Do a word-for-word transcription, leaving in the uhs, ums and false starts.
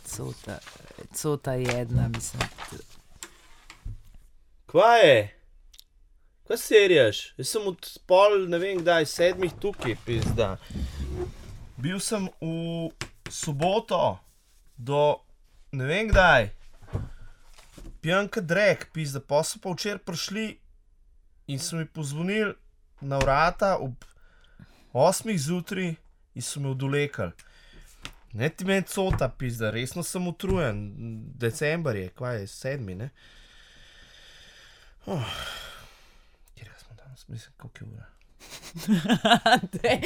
cota, cota jedna, mislim. Kva je? Kaj serijaš? Jaz sem od pol, ne vem kdaj, sedmih tukaj, pizda. Bil sem v soboto do, ne vem kdaj, pijanka drek, pizda, pa so pa včeraj prišli in so mi pozvonili na vrata ob osmih zjutraj in so me odvlekli. Ne ti meni cota, pizda, resno sem utrujen, december je, kva je, sedmi, ne? Oh. Kjerega smo danes, mislim, koliko je ura? Dej,